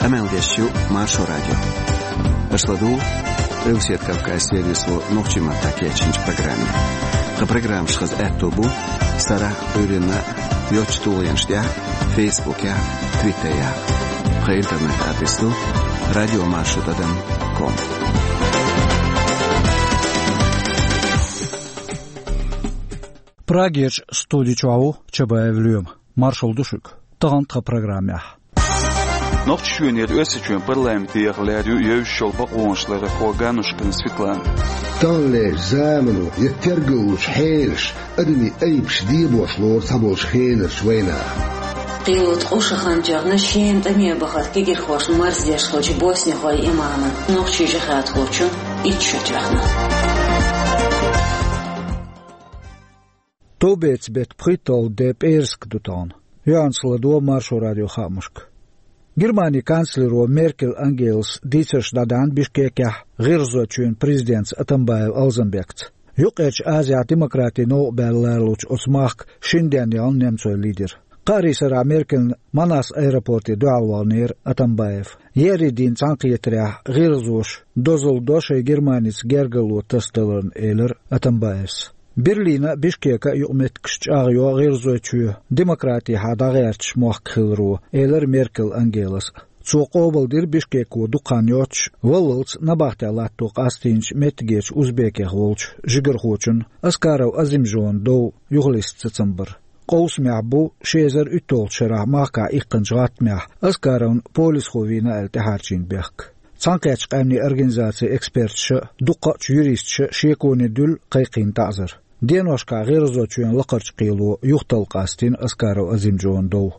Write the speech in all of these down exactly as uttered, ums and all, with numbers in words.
Къамел деш ю Маршо радио. Аша ладугӀу Къилбаседа Кавказан сервисо нохчийн маттахь кечйинчу программе. Тхан программаш хаза аьтто бу сарахь а, Ӏуьйранна а йоцачу тулгӀенаш тӀехь а, Фейсбукехь а, Твиттерехь а. Тхан интернет-адрес ду радиомаршо тӀадам ком. Прагерчу студи чохь ву Чабаев Лоьма. Маршалла ду шуьга. Тахана тхан программехь. Нохчийчоьнера Оьрсийчоьнан парламенте яха лаьрра ю евзаш йолу бакъонашларъярхо Ганнушкина Светлана. Таханлерчу замано я тергаллучу хьелаш адамийн айбаш дебош лору цхьаболчу хенарчу вайнаха. Кхело ткъа шо хан тоьхна Шема тӀаме бахарх кегийрхошна марздеш хиллачу боснихойн имаман нохчийн жихӀадхочун итт шо тоьхна. Товбецан беттан пхийтталгӀа де пӀераска ду тахана. Юьхьанца ладогӀа Маршо радион хаамашка. Германин канцлеро Меркель Ангелас дийцарш дӀадаьхьна Бишкекехь ГӀиргӀазойчоьнан президентца Атамбаев Алзанбекца. Юккъерчу Азехь демократин новкъа баьлла лоруш оцу махка шина денна яьлла немцойн лидер. Кхаарин сарахь Меркельна Манас аэропорте дуьхьал ваханера Атамбаев. Еарин дийнан цхьаьнакхетарехь гӀиргӀазоша дозалла до шайн Германица гергарло тасадаларна, элира Атамбаевс. Берлина а, Бишкека а юкъаметтигаш чӀагӀйо ГӀиргӀазойчоь демократехьа дӀагӀерташ мохк хиларо, элира Меркель Ангелас. Цо къобалдира Бишкеко дукха хан йоццуш валлалц набахтехь латто къастийначу меттигерчу узбекех волчу жигархочун Аскаров Азимжонан дов юхалиста сацам бар. Къовсамехь бу ши эзар уьтталгӀачу шарахь махкахь иккхинчу гӀаттамехь Аскаровна полисхо вийна аьлла тӀехьарчийна бехк. Цхьаьнакхеттачу къаьмнийн организацин эксперташа а, дукхачу юристаша а шеконе дуьллу кхайкхийна таӀзар. Деношкахь ГӀиргӀазойчоьнан лакхарчу кхело юхаталла къастийна Аскаров Азимжонан дов.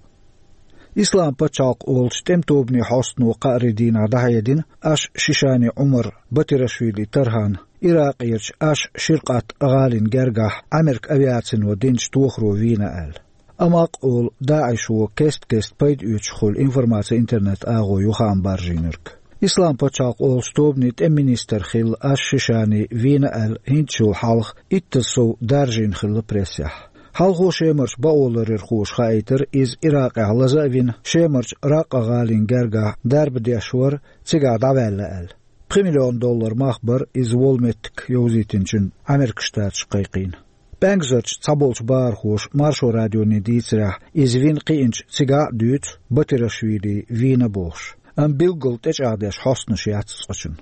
Ислам пачхьалкх олучу тӀеман тобанийн хьостано кхаарин дийнахь дӀахьедина Аш-Шишани Ӏумар Батирашвили Тархан Иракъерчу Аш-Ширкъат гӀалин гергахь Ӏамеркан авиацино динчу тохаро вийна аьлла. Амакъ олу ДаӀишо кест-кеста пайда оьцуш хуьлу информаци интернет-агӀо ю хаам баржийнарг. Ислам пачхьалкх олучу тобанийн тӀеман министр хилла Аш-Шишани вийна аьлла хӀинцачул хьалха иттаза сов даржийна хилла прессехь. Хьалхо шемарчу бакъоларъярхоша хаийтира, иза Иракъехь лаза а вина, Шемарчу Ракъа гӀалин гергахь дарба деш вара, цигахь дӀаваьлла аьлла. Пхи миллион доллар мах бара иза волу меттиг йовзийтинчун Ӏамеркан Штаташ кхайкхийна. ПӀаьнгазарчу цхьаболчу бахархоша Маршо радионе дийцарехь, иза вина кхиъначу цигахь а дуьйцу Батирашвили вийна бохуш, амма билггал тӀечӀагӀдеш хьостанаш яц цкъачунна.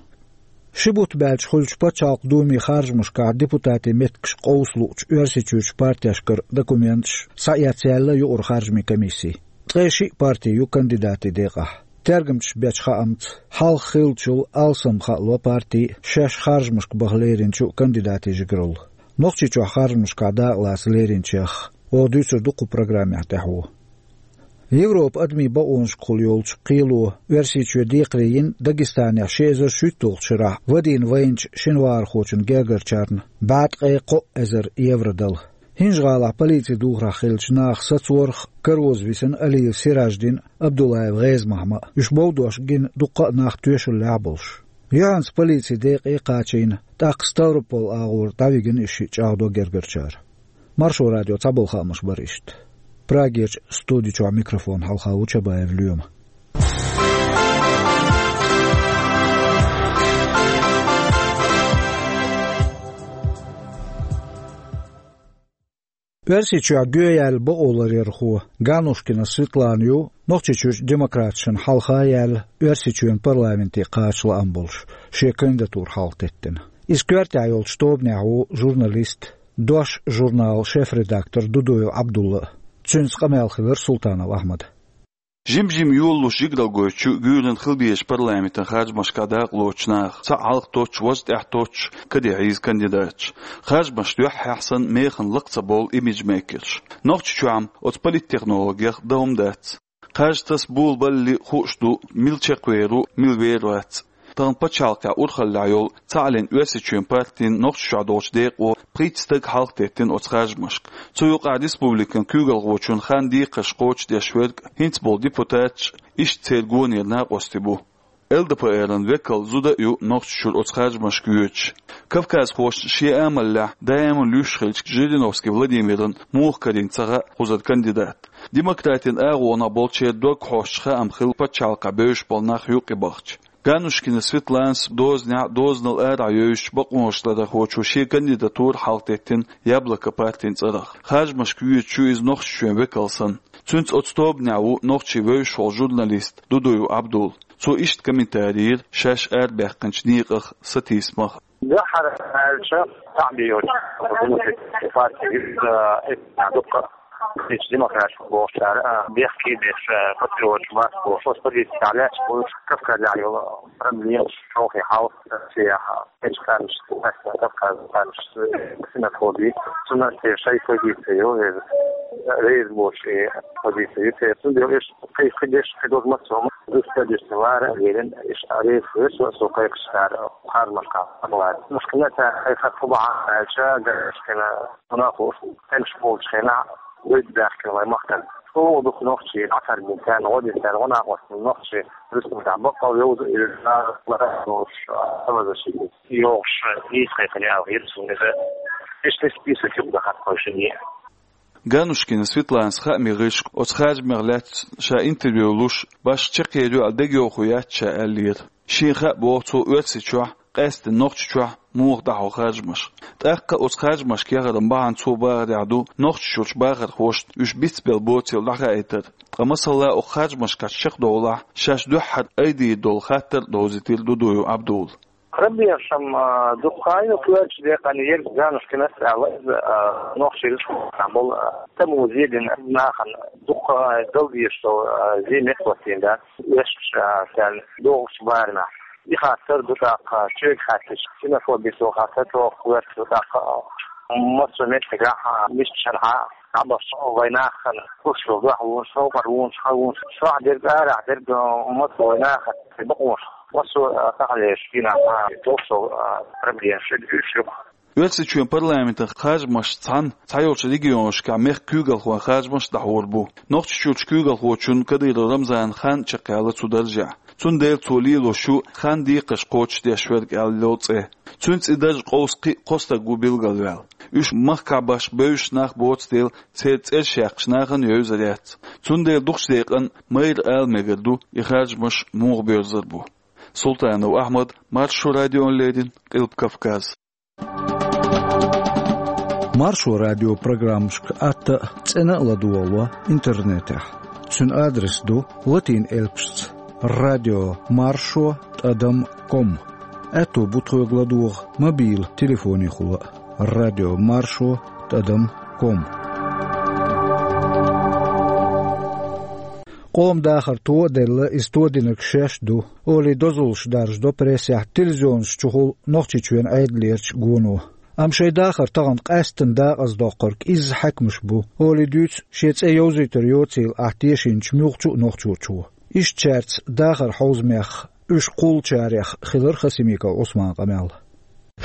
Ши бутт баьлча хуьлучу пачхьалкх Думин харжамашкахь депутатийн меттигаш къовса луучу Оьрсийчуьрчу партешкара документаш схьаэцна яьлла юкъара харжамийн комисси. Ткъе шиъ парти ю кандидатийн декъахь. Тергамчаша бечу хаамца, хьалха хиллачул алсам хаало парти шаьш харжамашка баха леринчу кандидатийн жигаралла. Нохчийчохь харжамашкахь дакъалаца леринчех оха дуьйцур ду кху программехь тӀаьхьо. Европан адамийн бакъонашкахула йолчу кхело Оьрсийчоь декхаре йина Дагестанехь ши эзар шуьйтталгӀачу шарахь вадийна вайначу шина вахархочун гергарчарна бӀе ткъе кхо эзар евро дала. ХӀинжа-ГӀалахь полицин духарехь хиллачу наха сацорах кароза висина Алиев Сираждин а, Абдуллаев ГӀеза-Махьма а. Уьш бовдош гина дуккха а нах тоьшаллехь а болуш. Юьхьанца полицин декъе а кхачийна, тӀаккха Ставрополь агӀора дӀавигина и шиъ, чӀагӀдо гергарчара. Маршо радион цхьаболу хаамаш бара иштта. Прагерчу студи чохь микрофон хьалха ву Чабаев Лоьма. Оьрсийчохь гоьяьлла бакъоларъярхо Ганнушкина Светлана ю Нохчийчуьрчу демократашна хьалха яьлла Оьрсийчоьнан парламенте кхача лаам болуш, шен кандидатура хьалха теттина. Иза коьртехь йолчу тобанехь ву журналист, «Дош» журналан шеф-редактор Дудуев Ӏабдулла а. Цуьнца къамел хилира Султанов Ахьмада. Жим-жима йолалуш жигаралла гойтучу гуьйранна хила безачу парламентан харжамашкахь дакъалоцучу наха цхьаъ хьалха тоттуш, важа тӀаьхьа тоттуш каде хьийза кандидаташ. Харжамаш дуьххьехь санна механа лакха ца бовлу имиджмейкерш. Нохчийчохь-м оцу политтехнологех дан хӀума дац. Кхаж таса болабалале хууш ду, мила чекхвер ву, мила вер вац. Тахана пачхьалкхехь урхаллехь йолу Цхьааллин Оьрсийчоьнан партин Нохчийчохь долчу декъо пхийтта стаг хьалха теттина оцу харжамашка. Цу юкъахь республикан куьйгалхочун хан декхарш кхочушдеш верг хӀинца болу депутаташ а, иштта церан гонера накъостий бу. ЛДПР-ан векал зуда а ю Нохчийчуьра оцу харжамашка йоьдуш. Кавказхошна шен амалехь даиман луьйш хиллачу Жириновский Владимирна муха карийна ца хаьа кхузара кандидат. Демократийн агӀонах болчеран дог хьоьстуш хаам хилла пачхьалкхехь бевзаш болу нах юкъе бахча. Ганнушкина Светланас дозанехь а, дозанал арахь а йовзуьйтучу бакъонхошхойрахочо шен кандидатура хьалхадеттина «Яблоко» партин цӀарах. Харжамашка йоьдуш ю иза Нохчийчоьнан векал санна. Цуьнца оцу тобанехь ву Нохчийчоьнан вевзаш волу журналист Дудуев Абдул. Цо иштта комментари йира шаьш арабаьккхинчу некъах, сатийсамах. Дуьххьара аьлча, схьа а бийош, партия, э, дуккха, кхечу демократико бохучара, а, бехке а беш, а, патриоташ бац бохуш, оцу позицехь лаьтташ болуш, Кавказехь йолу проблемаш, чохь хьал, Россехь, кхечу кхаьрнаш, Кавказан кхаьрнаш, ксенофоби, цунах те шайн позици ю, э, реза боцуш и позици ю, те, цундела уьш кхин, кхин деш, кхин доза массо а ма, дустадеш вара а лелина, иш а реза хир, со, со кхайкхаш цара, харжамашкахь хьалаьцна. Мушкина цара кхайкхар хӀун бахьана аьлча, Ганнушкина, хӀунда аьлча, кхаьрнаш болчу хенахь, вуьйцу баьхкина вайн махкана. ЧӀогӀа дукха нохчий, дӀакхаьрдина царна, гӀо дина царна, гӀо накъосталла нохчий, республикехь баккъал йовза а йовзуш, лара а лоруш, а, самозащита йохуш, нийса кхайкхина аьлла хета суна иза. Иштта список юкъа дахар кхойшинне. Ганнушкина Светланас хаамийн гӀирсашка оцу харжамех лаьцна ша интервью луш, башха чекхъер ю аьлла дегайовхо яц ша аьллера. Шена хаьа боху цо Оьрсийчохь, къаьсттина Нохчийчохь муха дӀахьо харжамаш. ТӀаккха оцу харжамашка яхаран бахьана цо бахарехь ду Нохчийчуьрчу бахархошна уьш бицбелла боцийла дӀахаийтар. Ткъа масала, оцу харжамашкахь чекхдовлахь, шаьш дуьххьара айдийр долу хаттар а довзийтира Дудуев Абдула. Проблемаш-м, а, дукха ю, коьртачу декъана ерг Ганнушкинас а аьлла иза, а, Нохчийн Республикехь болу, а, тӀамо зе дина нахана дукха дала дезаш долу, а, зе меттахӀоттийна дац, вешаш, а, царна догӀучу барамехь. И хаттар ду тӀаккха, чуьйга хаьттича, ксенофобица хаттар чӀогӀа коьрта ду тӀаккха, а, массо а меттигехь, а, мисачу шарахь дӀабахча вайн нахана, хӀуш йолу дуьхьалонаш, совкъарлонаш, хьалонаш, шохь дерг, арахь дерг, а, массо а вайн нахана бакъонаш. Массо а, а, таханлерчу дийнахь, а, долуш долу, а, проблемаш уьш ю. Оьрсийчоьнан парламентан харжамашца цхьаьна цхьайолчу регионашкахь мехкан куьйгалхойн харжамаш а дӀахьур бу. Нохчийчуьрчу куьйгалхочунна Кадыров Рамзанна хан а чекхъяьлла цу даржехь. Цундела цо лелош ю хан декхарш кхочушдеш верг аьлла йолу цӀе. Цуьнца и дарж къовса кхин а кхо стаг ву билгалваьлла. Уьш махкахь башха бевзаш нах боцу дела, церан цӀераш яьккхинчу нахана а евзар яц. Цундела дукхачу декъана майра ала мегар ду, и харжамаш муха боьрзур бу. Султанов Ахьмад, Маршо радиона леррина, Къилба Кавказ. Маршо радион программашка атта а, цӀена а ладогӀало интернетехь. Цуьнан адрес ду латин элпашца: радио маршо тӀадам ком. Аьтто бу тхоьга ладогӀа мобил телефонехула а: радио маршо тӀадам ком. Къоман дахар то а делла, иза тодинарг шаьш ду, олий дозаллаш даржадо прессехь, телевизионаш чухула Нохчийчоьнан Ӏедалерчу гоно. Амма шайн дахар тахана къаьсттина дакъаздоккхург изза хьаькамаш бу, олий дуьйцу шен цӀе йовзийтар йоцийла ахь тешийначу муьлххачу а нохчочо. Иштта цаьрца дахаран хьовзамех, уьш кхуллучарех хилира Хасимиков Ӏусманан къамел.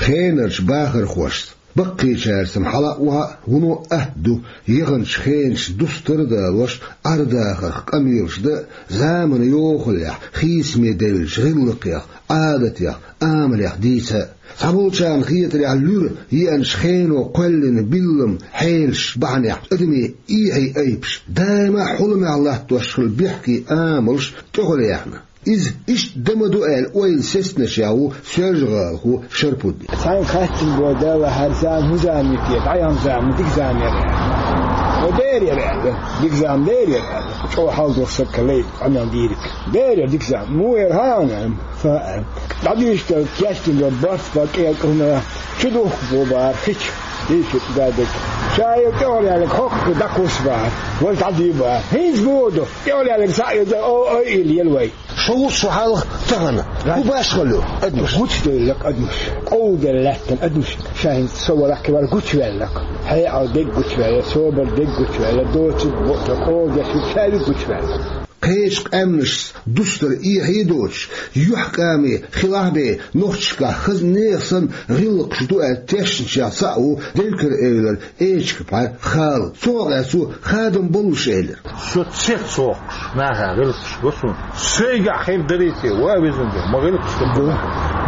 Хенарчу бахархошца, баккхийчаьрца-м хьала а, охьа а вуно атта ду, яханчу хенаш дустар а далош, Ӏар-дахарх къамелаш дан а, заманан йохаллехь хийцаме девллачу гӀиллакхех, Ӏадатех, амалех дийца а. Цхьаболчарна хетарехь, луьра еанчу хено кхоьллина биллам хьелаш бахьанехь адамийн эхьийн айпаш, даима а хьуламехь латтош хилла бехке амалш тӀехула яьхна. Иза иштта дан ма ду аьлла ойла сецначех ву соьлжагӀалахо Шарпуддин. Цхьаьнга хаьттина боху, Далла, хӀара зама хӀун зама ю те, дӀаяхна зама, дика зама яра аьлла. О, дера яра аьлла. Дика зама дера яра аьлла. ЧӀогӀа хьал долуш стаг лай къамел дийриг. Дера яра дика зама. Муха яра хьан аьлла? Сан аьлла. ДӀадуьйшуш дара, кечдина дара барт, баккъал кӀелкӀа хӀума. Чу духку бо бара, хи чу. Дийшира даьдага. Ша йо тӀехула яьлларг хӀокху дӀакхуссу бара. Вай дӀадуьйху бара. ХӀинца боху ду. ТӀехула яьлларг схьа а йо, о, ой, илла ела вай. Шу ву со хьалха тахана. ХӀун башхалла ю адамаш? Гучуделларг адамаш. Къовладелла лаьттина адамаш. Ша хӀинца со валахь кхин вара гучуваьлларг. Хьекъал дерг гучуваьлла, собар дерг гучуваьлла, доцург бо-, къовладеш верг ша ву гучуваьлла. Кхечу къаьмнашца дустар эхьа а доцуш, юьхькӀаме хилахь бен, нохчашкахь хаза нехан санна гӀиллакхаш ду аьлла тешначех цхьаъ ву Делькар-Эвлара Эчкапхьар Хала. Цунах аьлча, цо хадам боллуш элира: «Со цецвоккхуш нахах гӀиллакхаш го суна. Сайгахь хир дарий те, ва везан Дела, ма гӀиллакхаш ду.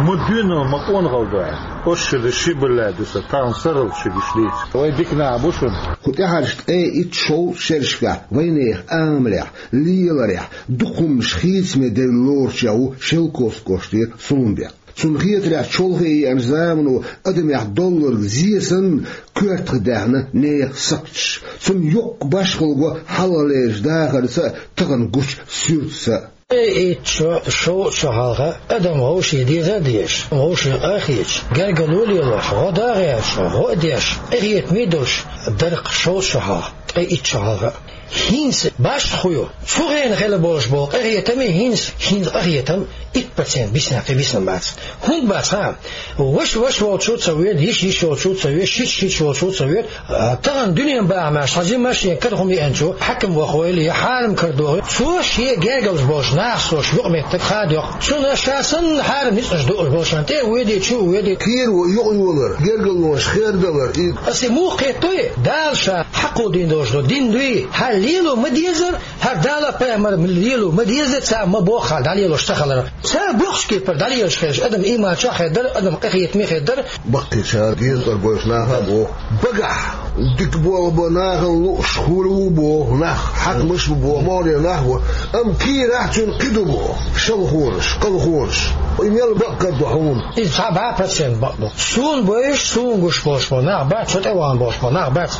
Ма дуьненал, ма къонахалла ду аьлла. Оцу шеран ши бала ду сан, тахана сарралц ши гуш дийца. Вай дика нах бу шуна». Кху тӀаьхьарчу ткъе итт-шовзткъа шерашкахь вайнехан амалехь, леларехь дукха хӀуманаш хийцаме девлла лоручех ву Шелковски кӀоштара Сулумбек. Цунна хетарехь, чолхе еанчу замано адамех долларг зе санна коьртах даьхна нехан сакхташ. Цунна йоккха башхалла го хьалхалерчу дахарца а, тахана гучу суьртаца а. Ткъе итт шо, шовзткъа шо хьалха адам вовшийн дезар а дезаш, вовшийн къа а хеташ, гергарло а лелош, гӀо а гӀерташ, гӀо а деш, къинхетаме а долуш дара-кх шовзткъа шо хьалха, ткъе итт шо хьалха. ХӀинца башха хӀун ю? Цу хенахь хилла болуш болу къинхетаме хӀинца, хӀинца къинхетам итт процент биснехь кхин бисина бац. ХӀунда бац хаьа? Ваша ваша волчу а ца воьду, йиша йиша волчу а ца воьду, шийтта шийтта волчу а ца воьду. А, тахана дуьненан бахамехь цхьа жимма а шен кара хӀума еанчу хьаькам вахой, я хьарам кара дохой, цо шен гергарчу болчу нахаца йолуш юкъаметтиг хадайо. Цунна ша санна хьарам ницкъаш дуъуш болчарна тӀе а воьдий, чу а воьдий. Кийра ву юкъайолар, гергарлонаш хердалар и. Аса и муха кхеттой? Дала ша хьакхо дина долуш ду, дина дуй? Хьан лело ма дезара, хӀара Дала, пайхамара лело ма дезара, цара ма боху хьан дӀалелош ца хилар. Цара бохучу кепара дӀалелаш хилча, адам ийман чохь хир дара, адам къинхетаме хир дара. Баккхийчара деза кӀара бойчу наха а боху: «Багахь дика болх бан нахана лууш хуьлу бу боху нах, хьаькамаш а бу боху, могӀарера нах а бу, амма кийрахь цуьнан кхин ду боху, шалхонаш, къалхонаш. И мел бакъ кара ду хьуна». Иза цхьа бӀе процент бакъ ду. Суна бовзуш, суна гуш болуш болу нах бац, со тӀе вахана болуш болу нах бац.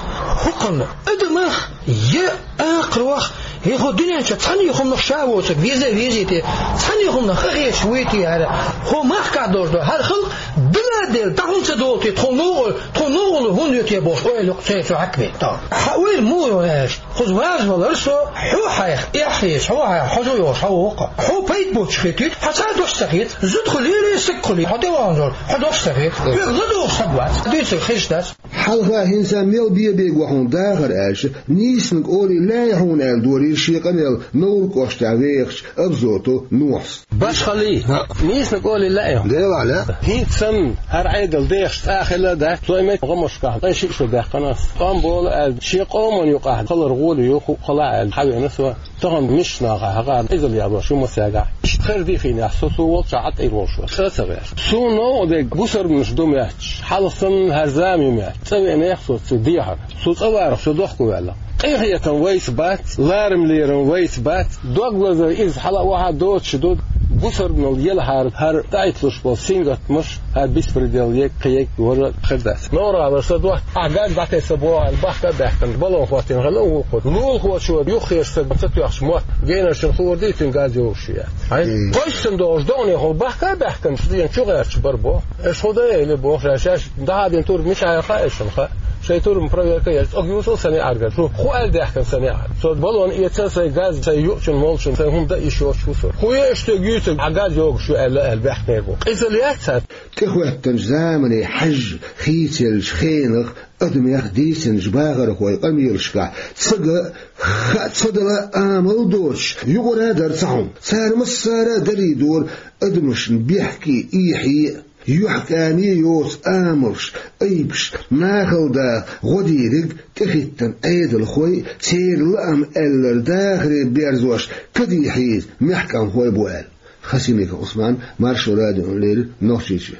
ХӀокхунна адамах я акхарох, я хӀокху дуьнен чу цхьана а хӀуманах ша воцург веза а везий те, цхьана а хӀуманах къахеташ вуй те хӀара, хӀокху махкахь долуш ду хӀара халкъ, дала а делла, дӀа хӀунда ца долу те, тхуна новкъа, тхуна новкъарло хӀунда ю те бохуш, ойла ю-кх церан цу хьаькаме. Хьан ойла муха ю аьлча, кхуза ваза валара со, хьо хьайх эхь хеташ, хьо хьайх хьожа йолуш хьо ву-кх. Хьо пайда боцуш хетийта, хьан цхьа а дош ца хета, зуда хуьлийла, стаг хуьлийла, хьо тӀе вахана долу, хьо дош ца хета. Хьоьга ладугӀуш стаг вац, дуьйцург хезаш дац. Хьалха хӀинца мел бен-бен го хьуна дахар аьлча, нийсаниг олий лаьий хьуна аьлла дорийра шен къамел Невран кӀоштахь вехачу Абзотов Нохьас. Башхалла, нийсаниг олий лаьий хьуна? Делахь лаьа. ХӀинца санна хӀара Ӏедал дехаш цӀа хилла а дац, цо и меттан гӀамашкахь ткъе шиъ шо даьккхина ас. ТӀом болу аьлла, шен къоман юкъахь хилар гӀоли ю, хӀуъа хилахь аьлла, хьавеана со. Тахана мисачу нахахь хьакъара, иза ял йолуш ю масех. Иштта хир дихийна ахь со, со волчохь Ӏа тӀера волуш вара. ЦӀа ца гӀерта. Суна новкъа дерг бусарбанаш ду моьттуш, хьалха санна хӀара зама ю моьтту. ЦӀа веанех со цу дехьара. Со цӀа варах, со дохко ваьлла. Къинхетам вайца бац, ларам-лерам вайца бац. Дог лазар иза хьала а вахьа доцуш ду, бусарбанал елахьара хӀара дӀаитталуш болу сингаттамаш, хӀара беспредел егга, кхин егга вара хир дац. Новралла са дохьа, ахь газ дӀатесса боху аьлла, бахка а баьхкина, балон хӀоттийна хилла вукхо. Лулахочо юххерчу стага ца тоьхча мотт, генарчун хуур дийцина газ йогуш ю яц. Хьайн, хьайн. Кхойссан догӀуш догӀанехула бахка а баьхкина, стенна чу гӀерташ бара боху. Аша хӀун дан эли боху, ша шаьш дӀахьадина турба мичахь яра хаьа шуна хаьа. Шайн турбан проверка еш, цӀогуьйсу сан неӀарга. Шу хӀун аьлла даьхкина сан неӀарга? Со балон эца, сайн газ, сайн юучун молчун, сайн хӀума дан йиш йоцуш ву со. ХӀун ю аша цуьнга юьйцург, хьан газ йогуш ю аьлла, аьлла баьхкинера боху. Къиза лаьццара. ТӀехӀоьттинчу замане хьаьжжа хийцаеллачу хенах адамех дийцинчу бахархойн къамелашкахь ца ган а, хаа ца дала а амал доцуш, юкъара а дара цхьа хӀума. Цара массара а дарий дора адамашна бехке а, эхье а, юьхькӀаме а йоцу амалш, айбаш, нахала даха гӀо дийриг тӀехӀиттина Ӏедалхой а, церан лаам аьлларг дахаре берзош кадий хьийза мехкамхой а бу аьлла. Хасимиков Ӏусман, Маршо радиона леррина, Нохчийчоь.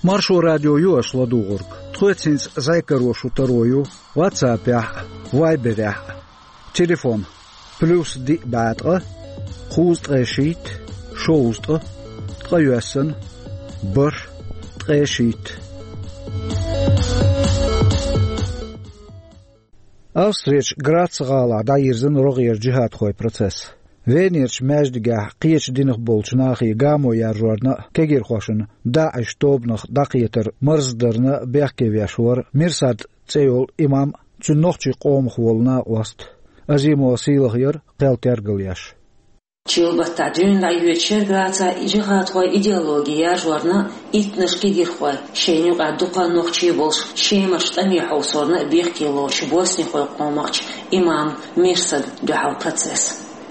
Маршо радио ю аша ладугӀург. Тхоьца хӀинца зӀе каро шун таро ю WhatsApp-ехь а, Viber-ехь а. Телефон: плюс диъ бӀе ткъа, кхузткъе шийтта, шовзткъа, ткъайоьсна, бархӀ, ткъе шийтта. Австрерчу Грац гӀалахь дӀайирзина рогӀера джихӀадхойн процесс. Венерчу маьждигехь кхечу динах болчу нахе гамо яржорна а, кегийрхошна ДАИШ тобанах дӀакхетар марздарна а бехке веш вара Мирсад цӀе йолу имам а, цуьнан нохчийн къомах волу накъост а. Азимова Сийлахьера кхел тергал еш. Чилла баттахь дуьйна дӀайоьдучу шергарахь цхьа джихадхойн идеологи яржорна а, иттаннаш кегийрхой, шайна юкъахь дукха нохчий болуш, Шемарчу тӀаме хьовсорна а бехке лоцучу боснихойн къомахчу имам Мирсада дуьхьал процесс.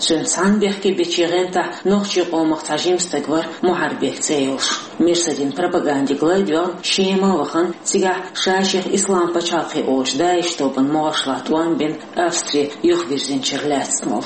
Цуьнца цхьаьна бехке бечийн гӀантахь нохчийн къомах цхьа жима стаг вара Мухьарбек цӀе йолуш. Мирсадин пропагандига лай а доьгӀна, Шема а вахана, цигахь ша-шех Ислам пачхьалкх олучу ДАИШ тобанан могӀаршлахь тӀом а бина, Австри юхавирзинчуьра лаьцна волу.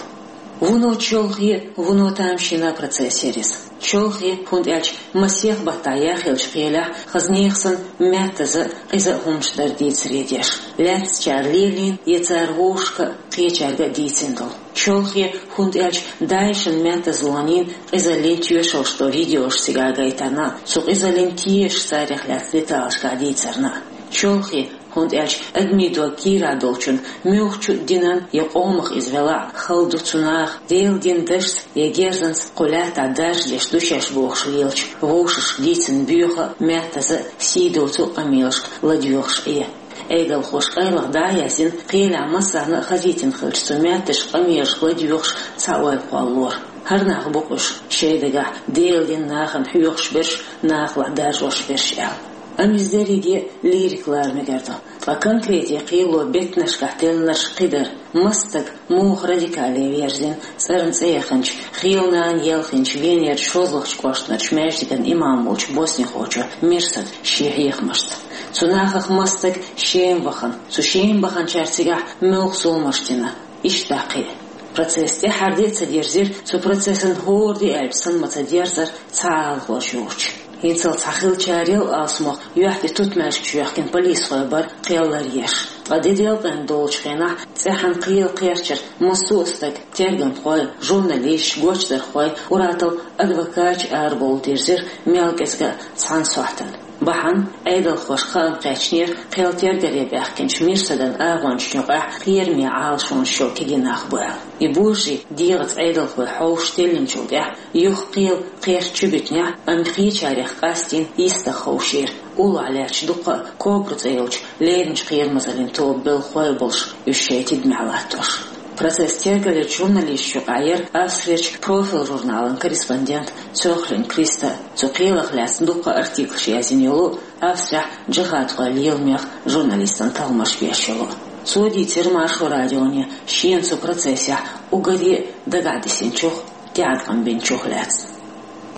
Вуно чолхе, вуно тамашийна процесс яра иза. Чолхе, хӀунда аьлча масех баттахь яхъеллачу кхелехь хаза нехан санна маьттаза а, къиза а хӀуманаш дара дийцаре деш. Лаьцначара лелийна я цара вовшашка а, кхечаьрга а дийцина долу. Чолхе, хӀунда аьлча ДАИШан маьттазаллин къизаллин тоьшаллаш долу видеош цигахь гайтарна а, цу къизаллин тешаш царех лаьцна деталашкахь дийцарна а. Чолхе, хӀунда аьлча адамийн дог кийрахь долчунна, муьлххачу а динан я къомах иза велахь а, хала ду цу наха, Делан дин дашца я герзанца кху лаьттахь даржадеш ду шаьш бохуш лелачу вовшашка дийцина боьха а, маьттаза а, сий доцу а къамелашка ладоьгӀуш Ӏе. Ӏедалхоша къайлаха дӀа а яздина, кхелехь массарна а хазийтина хиллачу цу маьттазчу къамелашка ладоьгӀуш цхьа ойла кхоллалора. ХӀара нах бу-кх уьш, шайн дагахь Делан дин нахана хьоьхуш берш, нахалахь даржош берш аьлла. Амма иза дерриге а лирика лара мегар ду. Ткъа конкрете кхело беттанашкахь теллинарш кхидӀа дара. Маса стаг муха радикале верзина, цӀарна цӀе яханчу, хила нана елхинчу Венерчу шозлагӀчу кӀоштарчу маьждиган имам волчу боснихочо Мирсада шен хьехамашца. Цу нахах маса стаг Шема вахана. Цу Шема баханчара цигахь муьлхха зуламаш дина. Иштта дӀа кхин а. Процесс тӀаьхьара де а ца дерзира, цу процессан хӀора де аьлча санна ма ца дерзара цхьа а алахло йоцуш. ХӀинццалц цхьа хиллачарел алсамох юьхь тӀе тутмаьжгаш йоьхкина полисхой бара кхел ларъеш. Ткъа де делкъина долучу хенахь цӀеххьана кхел кхерчира массо а стаг, тергамхой, журналисташ, гочдархой, ур-атталла адвокаташ арабовла дирзира мел кӀезиг а цхьана сохьтана. Бахьана, Ӏедалхошка хаам кхаьчнера кхел тергаре баьхкинчу Мирсадан агӀончашна юкъахь кхераме Ӏалашонаш йолу кегий нах бу аьлла. И божарий дегӀаца Ӏедалхой хьовсуш теллинчул тӀаьхьа юха кхел кхерча чу битинехь, амма кхечарех къастийна йистах ховшийра, уллохь лаьтташ дуккха а Кобра цӀе йолчу леринчу кхерамазаллин тобан белхахой а болуш, уьш шайн тидамехь латтош. Процесс тергалъечу журналисташна юкъахь яра Австрерчу «Профиль» журналан корреспондент Цохлин Криста, цу кхелах лаьцна дуккха а артиклаш язйина йолу, Австрехь джихадхойн леламех журналистан талламаш беш йолу. Цо дийцира Маршо радионе шена цу процессехь уггаре а дагахь дисинчух, тӀеӀаткъам бинчух лаьцна.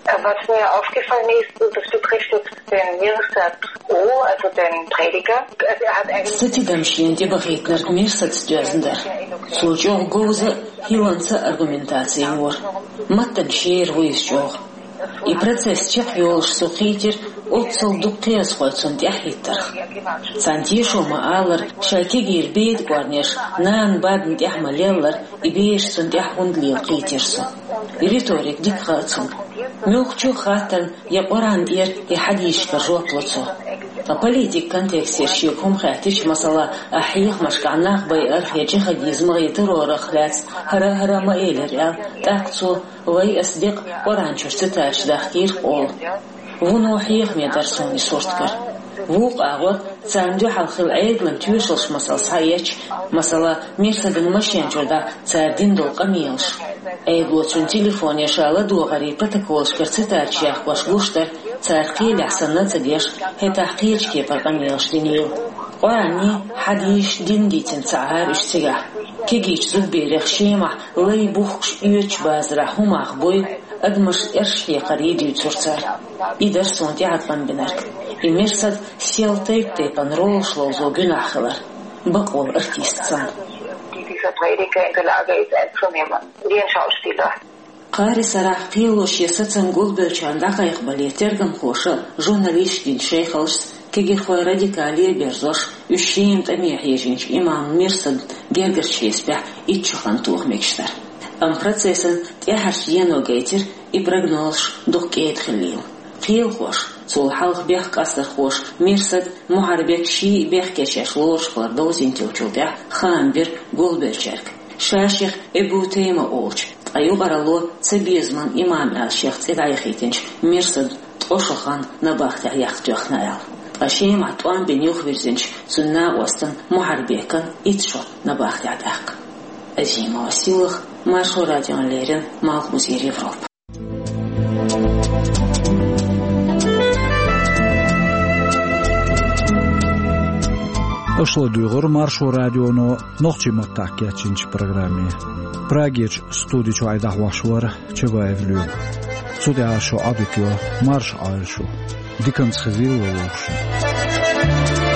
Was mir aufgefallen ist, und das betrifft jetzt den Mirsad O, also den Prediger. Also er hat eigentlich Сан тидам шена тӀебахийтинарг Мирсаца доьзна дара. Цо чӀогӀа говза а, хӀилланца а аргументаци йора. Маттана шера ву иза чӀогӀа. И процесс чекхйолуш цо кхийтира оццул дукха кхиазхой цунна тӀаьхьахӀиттарх. Царна тешо ма-аллара, шайн кегийра беда кӀорнеш нана бадна тӀехь ма-леллара, и бераш цунна тӀехь хӀунда лела кхийтира цо. И риторика дика хаьа цунна. Муьлххачу а хаттарна я Къуръан тӀера, я хьадисашкара жоп ло цо. Ткъа политикан контекстера шега хӀума хаьттича, масала, ахь хьехамашкахь нах байарх я джихадизмах я террорах лаьцна хӀара а, хӀара а ма элира аьлла, тӀаккха цо: «Вай, ас декъа Къуръан чуьра цитаташ дахкийра-кх», — олу. Вуно хьехаме дара суна и сурт гар. Вукху агӀор царна дуьхьал хилла Ӏедалан тоьшаллаш масала схьаэцча, масала, Мирсадан машен чуьра дӀа цара дина долу къамелаш. Ӏедало цуьнан телефоне ша ладогӀарийн протоколашкара цитаташ яхкош гуш дара, цара кхелехь санна а ца деш, хӀетахь кхечу кепара къамелаш динийла. Къуръанний, хьадисашний дин дийцина ца Ӏара уьш цигахь. Кегийчу зудберех Шемахь лай бухкуш оьцучу базарахь хӀун мах буй, адамаш эрш хьекхарий дуьйцура цара. И дара суна тӀеӀаткъам бинарг. И Мирсад сел тайп-тайпана ролаш ловзо гуьнахь хилар. Бакъволу артист санна. Dieser Prediger in der Lage ist, einzunehmen, wie ein Schauspieler. Кхаарин сарахь кхело шен сацам гулбеллачарна дӀакхайкхабале тергамхоша, журналисташа дина шайхаллашца, кегийрхойн радикале а берзош, уьш Шема тӀаме хьежийначу имам Мирсадан гергарчу хьесапехь итт шо хан тоха мегаш дара. Амма процессан тӀаьхьарчу дено гайтира и прогнозаш дукха кӀеда хиллийла. Кхелахоша, цул хьалха бехк къастархоша Мирсад, Мухьарбек ший а бехке шаьш лоруш хилар довзийна тиллачул тӀаьхьа хаам бира гулбеллачаьрга. Ша-шех Эбу Тейма олучу, ткъа юкъаралло цабезаман имам аьлла шех цӀе дӀаяхийтинчу Мирсадан ткъа шо хан набахтехь яккха тоьхна аьлла. Ткъа Шемахь тӀом бина юхавирзинчу цуьнан накъостан Мухьарбекан итт шо набахтехь даьккха. Азимова Силах, Маршо радион леррина Малхбузера Европа. Аша ладугӀура Маршо радионо нохчийн маттахь кечйинчу программе. Прагерчу студи чуьра дӀахьош вара Чабаев Лоьма. Цу тӀехь шун Ӏадика йо марша Ӏойла шу. Диканца хезийла вовшашна.